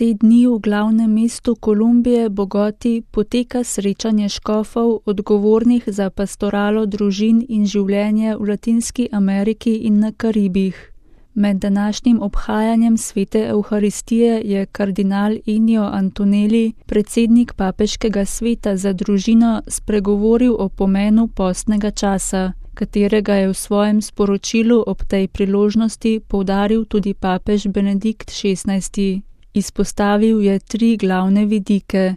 Te dni v glavnem mestu Kolumbije, Bogoti, poteka srečanje škofov, odgovornih za pastoralo družin in življenje v Latinski Ameriki in na Karibih. Med današnjim obhajanjem svete Evharistije je kardinal Inigo Antonelli, predsednik papeškega sveta za družino, spregovoril o pomenu postnega časa, katerega je v svojem sporočilu ob tej priložnosti poudaril tudi papež Benedikt XVI. Izpostavil je 3 glavne vidike.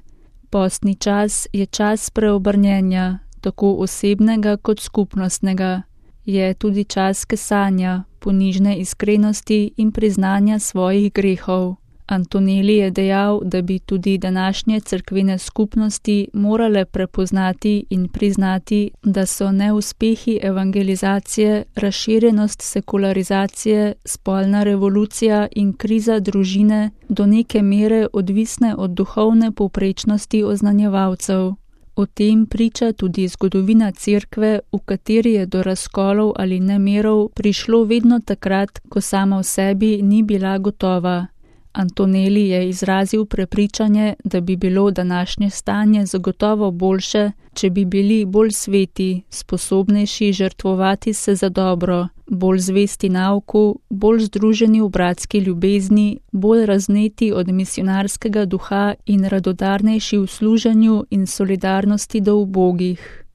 Postni čas je čas preobrnjenja, tako osebnega kot skupnostnega. Je tudi čas kesanja, ponižne iskrenosti in priznanja svojih grehov. Antonelli je dejal, da bi tudi današnje cerkvene skupnosti morale prepoznati in priznati, da so neuspehi evangelizacije, razširjenost sekularizacije, spolna revolucija in kriza družine do neke mere odvisne od duhovne povprečnosti oznanjevalcev. O tem priča tudi zgodovina cerkve, v kateri je do razkolov ali nemirov prišlo vedno takrat, ko sama v sebi ni bila gotova. Antonelli je izrazil prepričanje, da bi bilo današnje stanje zagotovo boljše, če bi bili bolj sveti, sposobnejši žrtvovati se za dobro, bolj zvesti nauku, bolj združeni v bratski ljubezni, bolj razneti od misijonarskega duha in radodarnejši v služenju in solidarnosti do ubogih.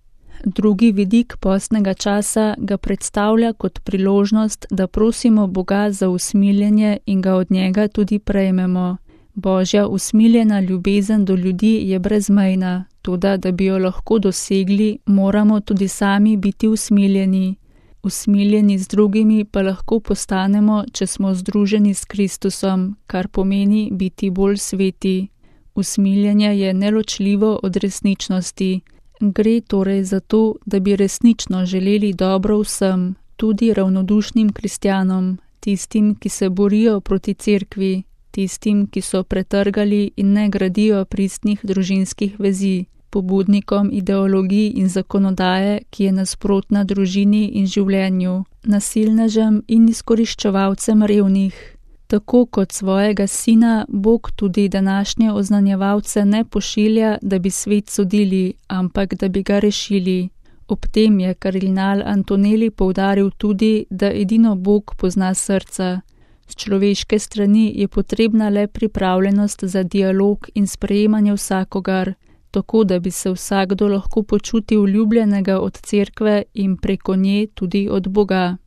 Drugi vidik postnega časa ga predstavlja kot priložnost, da prosimo Boga za usmiljenje in ga od njega tudi prejmemo. Božja usmiljena ljubezen do ljudi je brezmejna, toda da bi jo lahko dosegli, moramo tudi sami biti usmiljeni. Usmiljeni z drugimi pa lahko postanemo, če smo združeni s Kristusom, kar pomeni biti bolj sveti. Usmiljenje je neločljivo od resničnosti. Gre torej za to, da bi resnično želeli dobro vsem, tudi ravnodušnim kristjanom, tistim, ki se borijo proti cerkvi, tistim, ki so pretrgali in ne gradijo pristnih družinskih vezi, pobudnikom ideologij in zakonodaje, ki je nasprotna družini in življenju, nasilnežem in izkoriščevalcem revnih. Tako kot svojega sina, Bog tudi današnje oznanjevalce ne pošilja, da bi svet sodili, ampak da bi ga rešili. Ob tem je kardinal Antonelli poudaril tudi, da edino Bog pozna srca. Z človeške strani je potrebna le pripravljenost za dialog in sprejemanje vsakogar, tako da bi se vsakdo lahko počutil ljubljenega od cerkve in preko nje tudi od Boga.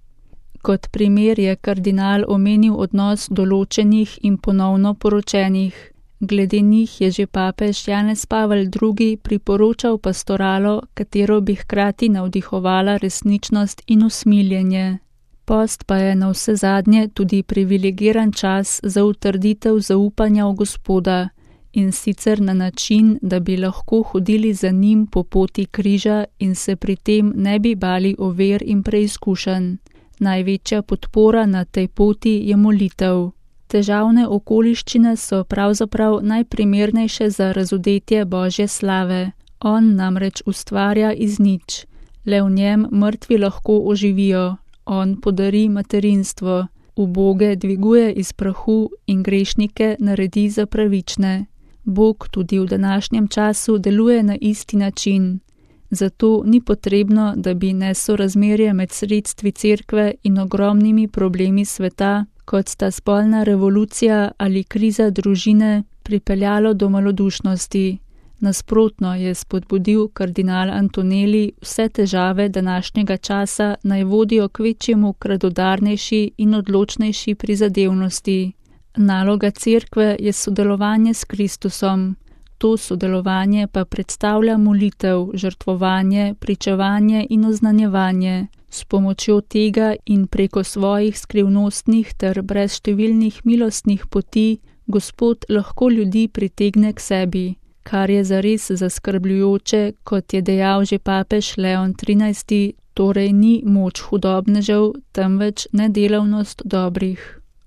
Kot primer je kardinal omenil odnos določenih in ponovno poročenih. Glede njih je že papež Janez Pavel II. Priporočal pastoralo, katero bi hkrati navdihovala resničnost in usmiljenje. Post pa je navsezadnje tudi privilegiran čas za utrditev zaupanja v Gospoda, in sicer na način, da bi lahko hodili za njim po poti križa in se pri tem ne bi bali ovir in preizkušenj. Največja podpora na tej poti je molitev. Težavne okoliščine so pravzaprav najprimernejše za razodetje Božje slave. On namreč ustvarja iz nič. Le v njem mrtvi lahko oživijo. On podari materinstvo. Uboge dviguje iz prahu in grešnike naredi za pravične. Bog tudi v današnjem času deluje na isti način. Zato ni potrebno, da bi nesorazmerje med sredstvi cerkve in ogromnimi problemi sveta, kot sta spolna revolucija ali kriza družine, pripeljalo do malodušnosti. Nasprotno je spodbudil kardinal Antonelli, vse težave današnjega časa naj vodijo k večjemu k radodarnejši in odločnejši prizadevnosti. Naloga cerkve je sodelovanje s Kristusom. To sodelovanje pa predstavlja molitev, žrtvovanje, pričevanje in oznanjevanje. S pomočjo tega in preko svojih skrivnostnih ter brezštevilnih milostnih poti Gospod lahko ljudi pritegne k sebi, kar je zares zaskrbljujoče, kot je dejal že papež Leon XIII., torej ni moč hudobnežev, temveč nedelavnost dobrih.